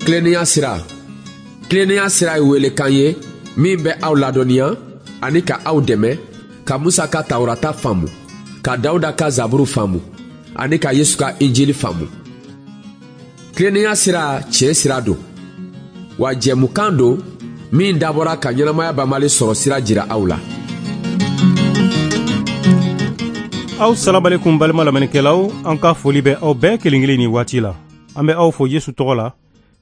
Tilennenya sira. Tilennenya sira ye welekan ye min bɛ aw ladɔnniya ani ka aw dɛmɛ ka Musa ka Tawurata faamu, ka Dawuda ka Zaburu faamu ani ka Yesu ka Injili faamu. Tilennenya sira tiɲɛ sira don, wa jɛmukan don min dabɔra ka ɲɛnamaya banbali sɔrɔ sira jira aw la. Aw salamalekun balima lamɛnnikɛlaw, an ka foli bɛ aw bɛɛ kelen kelen ni waati la. An bɛ aw fo Yesu tɔgɔ la.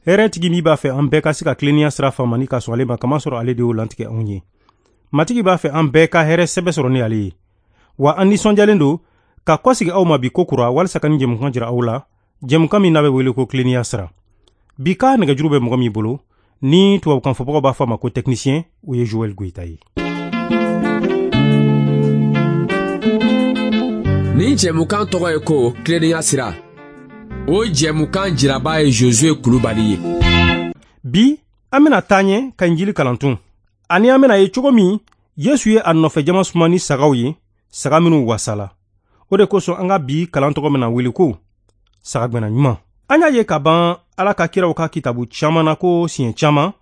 Hɛrɛ tigi min b'a fɛ an bɛɛ ka se ka tilennenya sira faamu ani ka sɔn ale ma, kamasɔrɔ ale de y'o lantigɛ anw ye. Matigi b'a fɛ an bɛɛ ka hɛrɛ sɛbɛ sɔrɔ ni ale ye. Wa an nisɔndiyalen don ka kɔsegi aw ma bi ko kura walisa ka nin jɛmukan jira aw la, jɛmukan min n'a bɛ wele ko tilennenya sira. Bi ka nɛgɛjuru bɛ mɔgɔ min bolo, ni tubabukan fɔbagaw b'a fɔ a ma ko technicien, o ye Joël Goïta ye. Nin jɛmukan tɔgɔ ye ko tilennenya sira. O jɛmukan jiraba ye Josué Kulubali ye. Bi an bɛna taa ɲɛ ka Injili kalan tun. Ani an bɛna ye cogo min Yesu ye a nɔfɛ jama suma ni sagaw ye, saga minnu wasala. O de kosɔn an ka bi kalan tɔgɔ bɛna wele ko sagagɛnna ɲuman. An y'a ye ka ban Ala ka kiraw ka kitabu caman na ko siɲɛ caman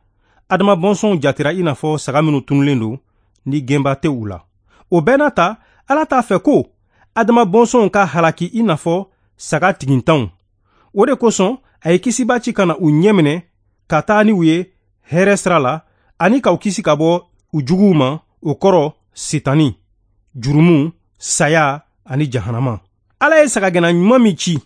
Adama bɔnsɔnw jatera i n'a fɔ saga minnu tununnen don ni gɛnba tɛ u la. O bɛɛ n'a ta, Ala t'a fɛ ko Adama bɔnsɔnw ka halaki i n'a fɔ saga tigintanw. O de kosɔn a ye kisiba ci ka na u ɲɛminɛ ka taa ni u ye hɛrɛ sira la ani k'u kisi ka bɔ u juguw ma, o kɔrɔ Sitani, jurumu, saya ani jahanama. Ala ye sagagɛnna ɲuman min ci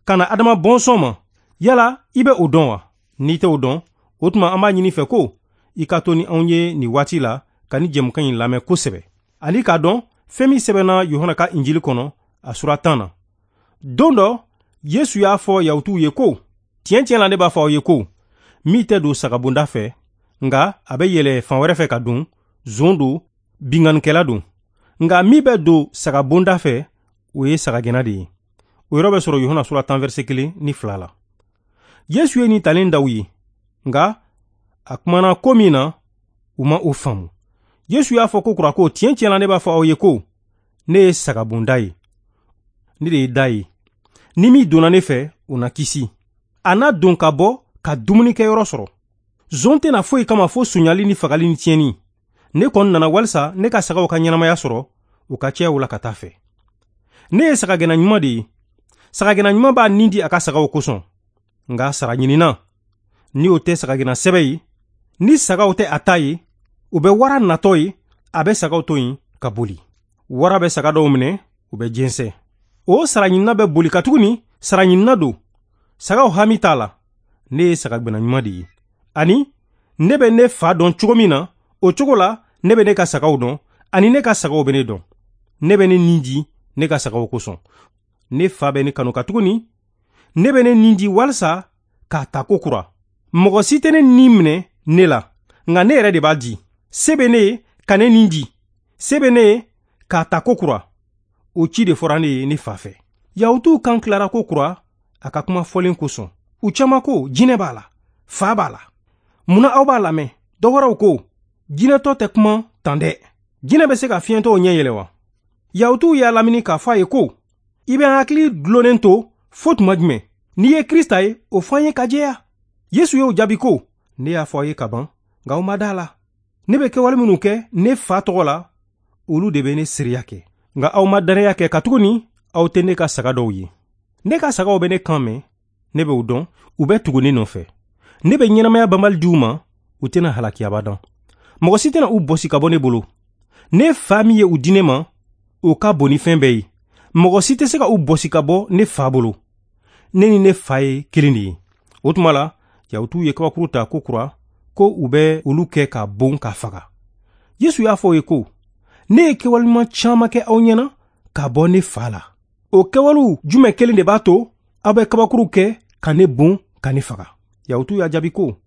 ka na Adama bɔnsɔn ma, yala i bɛ o dɔn wa? N'i tɛ o dɔn, o tuma an b'a ɲini fɛ ko i ka to ni anw ye nin waati la ka ni jɛmukan in lamɛn kosɛbɛ, ani k'a dɔn fɛn min sɛbɛnna Yohana ka Injili kɔnɔ a sura 10 na. Don dɔ Yesu y'a fɔ Yahutuw ye ko, tiɲɛ tiɲɛ la ne b'a fɔ aw ye ko, min tɛ don sagabonda fɛ, nka a bɛ yɛlɛ fan wɛrɛ fɛ ka don, zon don, binkannikɛla don. Nka min bɛ don sagabonda fɛ, o ye sagagɛnna de ye. O yɔrɔ bɛ sɔrɔ Yohana sura 10 verset 1 ni 2 la. Yesu ye nin talen d'aw ye, nka a kumana ko min na, u ma o faamu. Yesu y'a fɔ ko kura ko, tiɲɛ tiɲɛ la ne b'a fɔ aw ye ko, ne ye sagabonda ye, ne de ye da ye. Ni min donna ne fɛ, o na kisi. A na don ka bɔ ka dumunikɛyɔrɔ sɔrɔ. Zon tɛna foyi kama fo sonyali ni fagali ni tiɲɛni. Ne kɔni nana walisa ne ka sagaw ka ɲɛnamaya sɔrɔ, u ka caya u la ka taa fɛ. Ne ye sagagɛnna ɲuman de ye. Sagagɛnna ɲuman b'a nin di a ka sagaw kosɔn. Nka sara ɲinina, ni o tɛ sagagɛnna sɛbɛ ye, ni sagaw tɛ a ta ye, u bɛ wara natɔ ye, a bɛ sagaw to yen ka boli. Wara bɛ saga dɔw minɛ, u bɛ jɛnsɛn. O sara ɲinina bɛ boli katuguni sara ɲinina don. Sagaw hami t'a la. Ne ye sagagɛnna ɲuman de ye. Ani ne bɛ ne fa dɔn cogo min na, o cogo la ne bɛ ne ka sagaw dɔn, ani ne ka sagaw bɛ ne dɔn. Ne bɛ ne nin di ne ka sagaw kosɔn. Ne fa bɛ ne kanu katuguni ne bɛ ne nin di walisa k'a ta ko kura. Mɔgɔ si tɛ ne nin minɛ ne la, nka ne yɛrɛ de b'a di. Se bɛ ne ye ka ne nin di, se bɛ ne ye k'a ta ko kura. O ci de fɔra ne ye ne fa fɛ. Yahutuw kan tilara ko kura a ka kuma fɔlen kosɔn. U caman ko jinɛ b'a la, fa b'a la. Munna aw b'a lamɛn? Dɔ wɛrɛw ko jinɛtɔ tɛ kuma tan dɛ. Jinɛ bɛ se ka fiɲɛtɔw ɲɛ yɛlɛ wa? Yahutuw y'a lamini k'a fɔ a ye ko, i bɛ an hakili dulonnen to fo tuma jumɛn? N'i ye Krista ye, o fɔ an ye ka jɛya. Yesu y'o jaabi ko, ne y'a fɔ aw ye ka ban, nka aw ma da la. Ne bɛ kɛwale minnu kɛ ne fa tɔgɔ la, olu de bɛ ne seereya kɛ. Nka aw ma danaya kɛ katuguni aw tɛ ne ka saga dɔw ye. Ne ka sagaw bɛ ne kan mɛn, ne bɛ u dɔn, u bɛ tugu ne nɔfɛ. Ne bɛ ɲɛnamaya banbali di u ma, u tɛna halaki abadan. Mɔgɔ si tɛna u bɔsi ka bɔ ne bolo. Ne fa min ye u di ne ma, o ka bon ni fɛn bɛɛ ye. Mɔgɔ si tɛ se ka u bɔsi ka bɔ ne fa bolo. Ne ni ne fa ye kelen de ye. O tuma la, Yahutuw ye kabakuru ta ko kura, ko u bɛ olu kɛ ka bon ka faga. Yesu y'a fɔ u ye ko, ne ye kɛwale ɲuman caman kɛ aw ɲɛna ka bɔ ne fa la. O kɛwalew jumɛn kelen de b'a to aw bɛ kabakuru kɛ ka ne bon ka ne faga? Yahutuw y'a jaabi ko,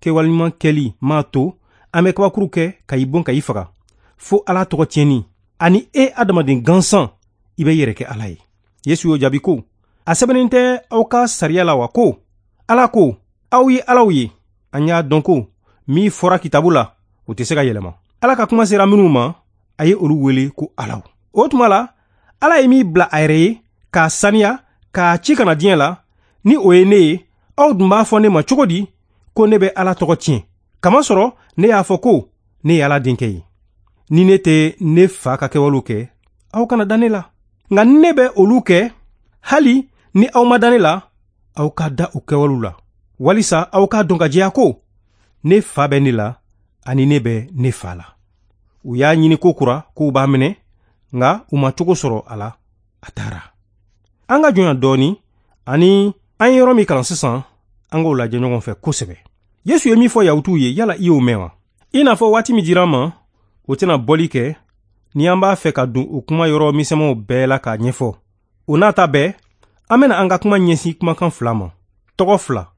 kɛwale ɲuman kɛli m'a to an bɛ kabakuru kɛ ka i bon ka i faga, fo Ala tɔgɔ tiɲɛni, ani e adamaden gansan, i bɛ yɛrɛ kɛ Ala ye. Yesu y'o jaabi ko, a sɛbɛnnen tɛ aw ka sariya la wa ko, Ala ko, aw ye alaw ye. An y'a dɔn ko min fɔra kitabu la, o tɛ se ka yɛlɛma. Ala ka kuma sera minnu ma, a ye olu wele ko alaw. O tuma la, Ala ye min bila a yɛrɛ ye k'a saniya, k'a ci ka na diɲɛ la, ni o ye ne ye, Aw dun b'a fɔ ne ma cogo di ko ne bɛ Ala tɔgɔ tiɲɛ, kamasɔrɔ ne y'a fɔ ko ne ye Ala denkɛ ye? Ni ne tɛ ne fa ka kɛwalew kɛ, aw kana da ne la. Nka ni ne bɛ olu kɛ, hali ni aw ma da ne la, aw ka da o kɛwalew la, walisa aw k'a dɔn ka jɛya ko ne fa bɛ ne la ani ne bɛ ne fa la. U y'a ɲini ko kura k'u b'a minɛ, nka u ma cogo sɔrɔ a la, a taara. An ka jɔnya dɔɔni ani an ye yɔrɔ min kalan sisan, an k'o lajɛ ɲɔgɔn fɛ kosɛbɛ. Yesu ye min fɔ Yahutuw ye, yala i y'o mɛn wa? I n'a fɔ waati min dira an ma, o tɛna bɔli kɛ ni an b'a fɛ ka don o kuma yɔrɔ misɛnmanw bɛɛ la k'a ɲɛfɔ. O n'a ta bɛɛ, an bɛna an ka kuma ɲɛsin kumakan fila ma, tɔgɔ fila.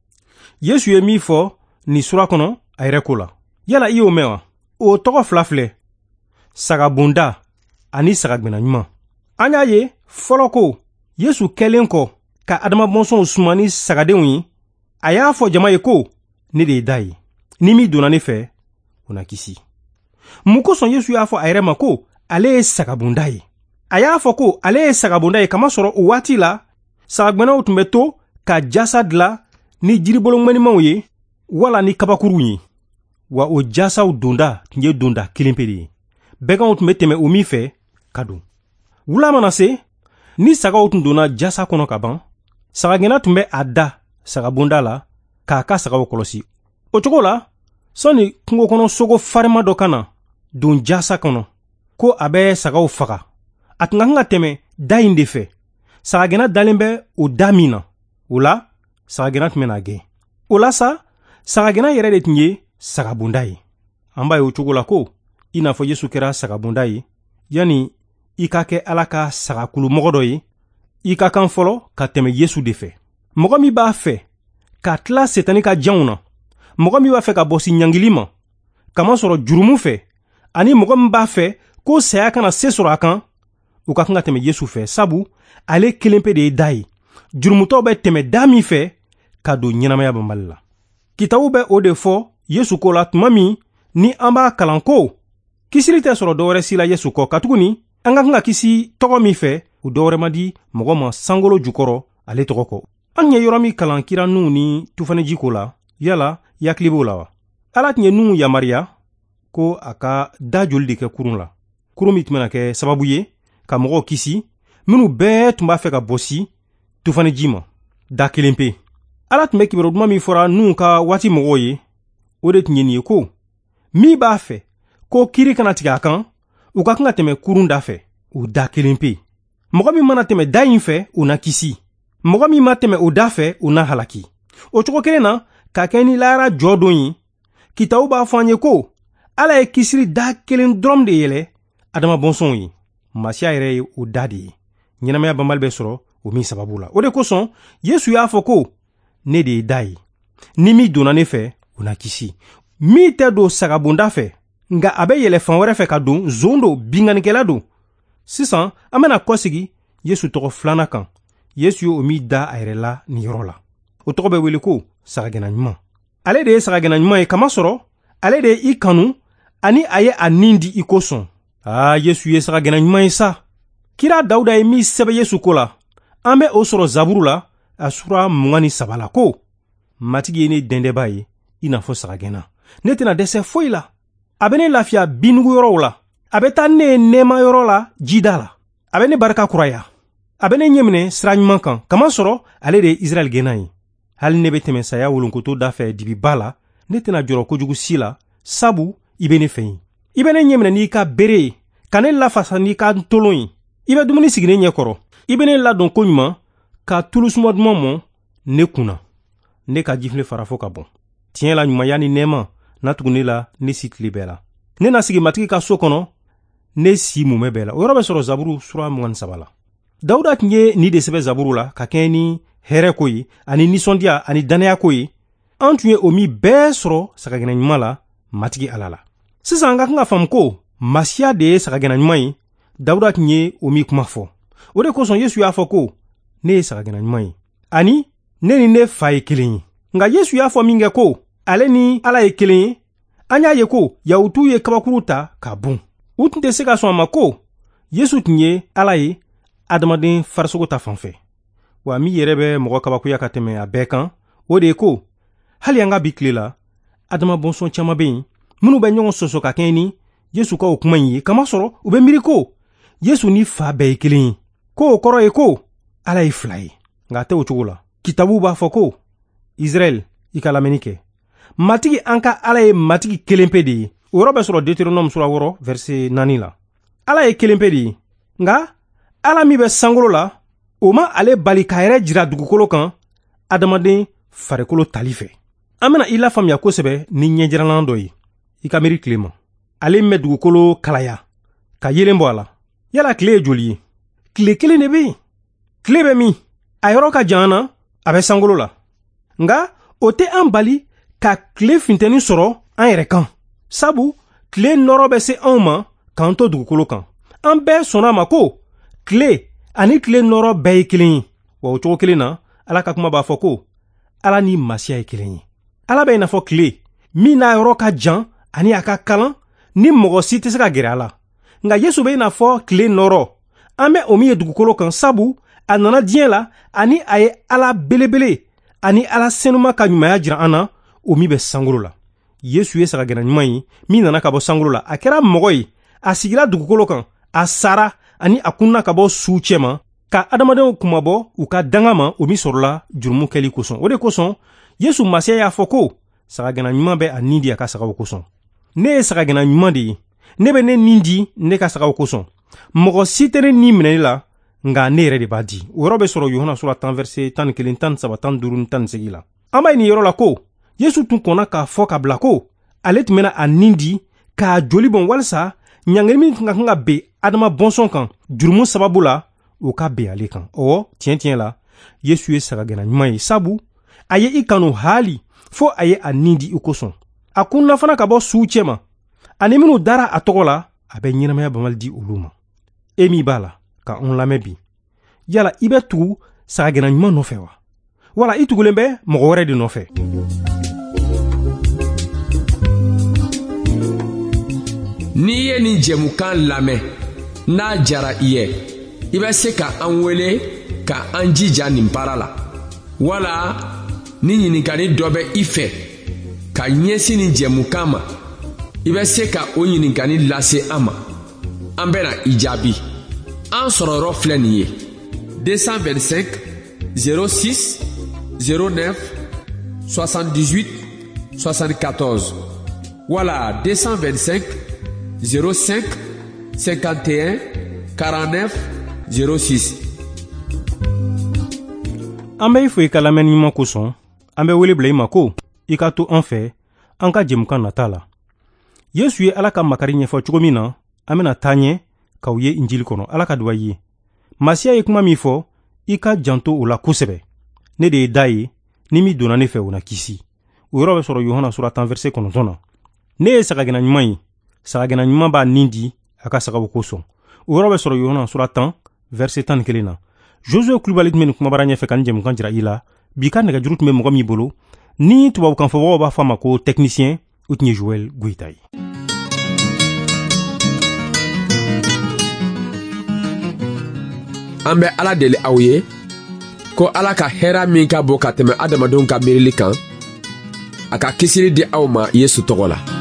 Yesu ye min fɔ nin sura kɔnɔ a yɛrɛ ko la, yala i y'o mɛn wa? O tɔgɔ fila filɛ, sagabonda ani sagagɛnna ɲuman. An y'a ye fɔlɔ ko Yesu kɛlen kɔ ka Adama bɔnsɔnw suma ni sagadenw ye, a y'a fɔ jama ye ko ne de ye da ye, ni min donna ne fɛ, o na kisi. Mun kosɔn Yesu y'a fɔ a yɛrɛ ma ko ale ye sagabonda ye? A y'a fɔ ko ale ye sagabonda ye kamasɔrɔ o waati la, sagagɛnnaw tun bɛ to ka jasa dilan ni jiribolo ŋɛnimanw ye wala ni kabakuruw ye. Wa o jasaw donda tun ye donda kelen pe de ye. Bɛganw tun bɛ tɛmɛ o min fɛ ka don. Wula mana se, ni sagaw tun donna jasa kɔnɔ ka ban, sagagɛnna tun bɛ a da sagabonda la k'a ka sagaw kɔlɔsi. O cogo la, sɔnni kungo kɔnɔ sogo farima dɔ ka na don jasa kɔnɔ ko a bɛ sagaw faga, a tun ka kan ka tɛmɛ da in de fɛ. Sagagɛnna dalen bɛ o da min na, o la sagagɛnna tun bɛna gɛn. O la sa, sagagɛnna yɛrɛ de tun ye sagabonda ye. An b'a ye o cogo la ko i n'a fɔ Yesu kɛra sagabonda ye, yanni i ka kɛ Ala ka sagakulumɔgɔ dɔ ye, i ka kan fɔlɔ ka tɛmɛ Yesu de fɛ. Mɔgɔ min b'a fɛ ka tila Setani ka janw na, mɔgɔ min b'a fɛ ka bɔsi ɲangili ma kamasɔrɔ jurumu fɛ, ani mɔgɔ min b'a fɛ ko saya kana se sɔrɔ a kan, u ka kan ka tɛmɛ Yesu fɛ, sabu ale kelen pe de ye da ye. Jurumutɔw bɛ tɛmɛ da min fɛ ka don ɲɛnamaya banbali la. Kitabu bɛ o de fɔ Yesu ko la tuma min ni an b'a kalan ko kisili tɛ sɔrɔ dɔwɛrɛ si la Yesu kɔ, katuguni an ka kan ka kisi tɔgɔ min fɛ, o dɔwɛrɛ ma di mɔgɔ ma sankolo jukɔrɔ ale tɔgɔ kɔ. An ye yɔrɔ min kalan kira Nuhu ni tufaniji ko la, yala i hakili b'o la wa? Ala tun ye Nuhu yamaruya ko a ka da joli de kɛ kurun la, kurun min tun bɛna kɛ sababu ye ka mɔgɔw kisi minnu bɛɛ tun b'a fɛ ka bɔsi tufaniji ma, da kelen pe. Ala tun bɛ kibaru duman min fɔra Nuhu ka waati mɔgɔw ye, o de tun ye nin ye ko min b'a fɛ ko kiri kana tigɛ a kan, u ka kan ka tɛmɛ kurun da fɛ, o da kelen pe. Mɔgɔ min mana tɛmɛ da in fɛ, o na kisi. Mɔgɔ min ma tɛmɛ o da fɛ, o na halaki. O cogo kelen na, ka kɛ ni lahara jɔ don ye, kitabu b'a fɔ an ye ko Ala ye kisili da kelen dɔrɔn de yɛlɛ Adama bɔnsɔnw ye. Masiya yɛrɛ ye o da de ye. Ɲɛnamaya banbali bɛ sɔrɔ o min sababu la. O de kosɔn Yesu y'a fɔ ko ne de ye da ye. Ni min donna ne fɛ, o na kisi. Min tɛ don sagabonda fɛ, nka a bɛ yɛlɛ fan wɛrɛ fɛ ka don, zon don, binkannikɛla don. Sisan an bɛna kɔsegi Yesu tɔgɔ filanan kan. Yesu ye o min da a yɛrɛ la nin yɔrɔ la. O tɔgɔ bɛ wele ko sagagɛnna ɲuman. Ale de ye sagagɛnna ɲuman ye kamasɔrɔ ale de ye i kanu ani a ye a nin di i kosɔn. Aa, Yesu ye sagagɛnna ɲuman ye sa. Kira Dawuda ye min sɛbɛn Yesu ko la, an bɛ o sɔrɔ Zaburu la, a sura 23 la ko Matigi ye ne dɛndɛba ye i n'a fɔ sagagɛnna. Ne tɛna dɛsɛ foyi la. A bɛ ne lafiya binnugu yɔrɔw la. A bɛ taa ne ye nɛɛma yɔrɔ la jida la. A bɛ ne barika kuraya. A bɛ ne ɲɛminɛ sira ɲuman kan, kamasɔrɔ ale de ye Israɛl gɛnna ye. Hali ne bɛ tɛmɛ saya wolonkoto da fɛ dibiba la, ne tɛna jɔrɔ kojugu si la, sabu i bɛ ne fɛ yen. I bɛ ne ɲɛminɛ n'i ka bere ye, ka ne lafasa n'i ka ntolon ye. I bɛ dumuni sigi ne ɲɛkɔrɔ. I bɛ ne ladon koɲuman ka tulu suma duman mɔn ne kun na. Ne ka jifilen fara fo ka bɔn. Tiɲɛ la ɲumanya ni nɛɛma na tugu ne la ne si tile bɛɛ la. Ne na sigi Matigi ka so kɔnɔ ne si mumɛ bɛɛ la. O yɔrɔ bɛ sɔrɔ Zaburu sura 23 la. Dawuda tun ye nin de sɛbɛn Zaburu la ka kɛɲɛ ni hɛrɛ ko ye ani nisɔndiya ani dannaya ko ye. An tun ye o min bɛɛ sɔrɔ sagagɛnna ɲuman la Matigi Ala la. Sisan an ka kan ka faamu ko Masiya de ye sagagɛnna ɲuman ye. Dawuda tun ye o min kuma fɔ. O de kosɔn Yesu y'a fɔ ko ne ye sagagɛnna ɲuman ye ani ne ni ne fa ye kelen ye. Nka Yesu y'a fɔ min kɛ ko ale ni Ala ye kelen ye, an y'a ye ko Yahutuw ye kabakuru ta k'a bon. U tun tɛ se ka sɔn a ma ko Yesu tun ye Ala ye adamaden farisogo ta fan fɛ. Wa min yɛrɛ bɛ mɔgɔ kabakoya ka tɛmɛ a bɛɛ kan, O de ye ko hali an ka bi tile la, adama bɔnsɔn caman bɛ yen minnu bɛ ɲɔgɔn sɔsɔ ka kɛɲɛ ni Yesu ka o kuma in ye, kamasɔrɔ u bɛ miiri ko Yesu ni Fa bɛɛ ye kelen ye, ko o kɔrɔ ye ko Ala ye fila ye. Nka a tɛ o cogo la. Kitabu b'a fɔ ko Israɛl, i ka lamɛnni kɛ. Matigi an ka Ala ye Matigi kelen pe de ye. O yɔrɔ bɛ sɔrɔ Deutéronome sura 6 verset 4 la. Ala ye kelen pe de ye. Nka Ala min bɛ sankolo la, o ma ale bali k'a yɛrɛ jira dugukolo kan adamaden farikolo tali fɛ. An bɛna i lafaamuya kosɛbɛ ni ɲɛjiralan dɔ ye. I ka miiri tile ma. Ale min bɛ dugukolo kalaya ka yeelen bɔ a la. Yala tile ye joli ye? Tile kelen de bɛ yen. Tile bɛ min? A yɔrɔ ka jan an na, a bɛ sankolo la. Nka o tɛ an bali ka tile funteni sɔrɔ an yɛrɛ kan. Sabu tile nɔrɔ bɛ se anw ma k'an to dugukolo kan. An bɛɛ sɔnna a ma ko tile ani tile nɔrɔ bɛɛ ye kelen ye. Wa o cogo kelen na, Ala ka kuma b'a fɔ ko Ala ni Masiya ye kelen ye. Ala bɛ i n'a fɔ tile min n'a yɔrɔ ka jan ani a ka kalan ni mɔgɔ si tɛ se ka gɛrɛ a la. Nka Yesu bɛ i n'a fɔ tile nɔrɔ, an bɛ o min ye dugukolo kan, sabu a nana diɲɛ la ani a ye Ala belebele ani Ala senuma ka ɲumanya jira an na, o min bɛ sankolo la. Yesu ye sagagɛnna ɲuman ye min nana ka bɔ sankolo la. A kɛra mɔgɔ ye, a sigira dugukolo kan, a sara ani a kunna ka bɔ suw cɛma ka adamadenw kunmabɔ u ka danga ma, o min sɔrɔla jurumu kɛli kosɔn. O de kosɔn Yesu Masiya y'a fɔ ko sagagɛnna ɲuman bɛ a nin di a ka sagaw kosɔn. Ne ye sagagɛnna ɲuman de ye. Ne bɛ ne nin di ne ka sagaw kosɔn. Mɔgɔ si tɛ ne nin minɛ ne la, nka ne yɛrɛ de b'a di. O yɔrɔ bɛ sɔrɔ Yohana sura 10 verset 11, 13, 15 ni 18 la. An b'a ye nin yɔrɔ la ko Yesu tun kɔnna k'a fɔ ka bila ko ale tun bɛna a nin di k'a joli bɔn walisa ɲangili min tun ka kan ka ben Adama bɔnsɔn kan jurumu sababu la, o ka ben ale kan. Ɔwɔ, tiɲɛ tiɲɛ la, Yesu ye sagagɛnna ɲuman ye, sabu a ye i kanu haali fo a ye a nin di i kosɔn. A kunna fana ka bɔ suw cɛma, ani minnu dara a tɔgɔ la, a bɛ ɲɛnamaya banbali di olu ma. E min b'a la ka anw lamɛn bi, yala i bɛ tugu sagagɛnna ɲuman nɔfɛ wa? Wala i tugulen bɛ mɔgɔ wɛrɛ de nɔfɛ? N'i ye nin jɛmukan lamɛn, n'a jara i ye, i bɛ se ka an wele ka an jija nin baara la. Wala ni ɲininkali dɔ bɛ i fɛ ka ɲɛsin nin jɛmukan ma, i bɛ se ka o ɲininkali lase an ma. An bɛna i jaabi. An sɔrɔ yɔrɔ filɛ nin ye: 225 06 09 78 74 wala 225 05 51 49 06. An bɛ i fo i ka lamɛnni ɲuman kosɔn. An bɛ wele bila i ma ko i ka to an fɛ an ka jɛmukan nata la. Yesu ye Ala ka makari ɲɛfɔ cogo min na, an bɛna taa ɲɛ k'aw ye Injili kɔnɔ. Ala ka duba i ye. Masiya ye kuma min fɔ, i ka janto o la kosɛbɛ. Ne de ye da ye, ni min donna ne fɛ, o na kisi. O yɔrɔ bɛ sɔrɔ Yohana sura 10 verset 9 na. Ne ye sagagɛnna ɲuman ye. Sagagɛnna ɲuman b'a nin di a ka sagaw kosɔn. O yɔrɔ bɛ sɔrɔ Yohana sura 10 verset 11 na. Josué Kulubali tun bɛ nin kumabara ɲɛfɛ ka nin jɛmukan jira i la. Bi ka nɛgɛjuru tun bɛ mɔgɔ min bolo, ni tubabukan fɔbagaw b'a fɔ a ma ko technicien, o tun ye Joël Goïta ye. An bɛ Ala deli aw ye ko Ala ka hɛrɛ min ka bon ka tɛmɛ adamadenw ka miirili kan, a ka kisili di aw ma Yesu tɔgɔ la.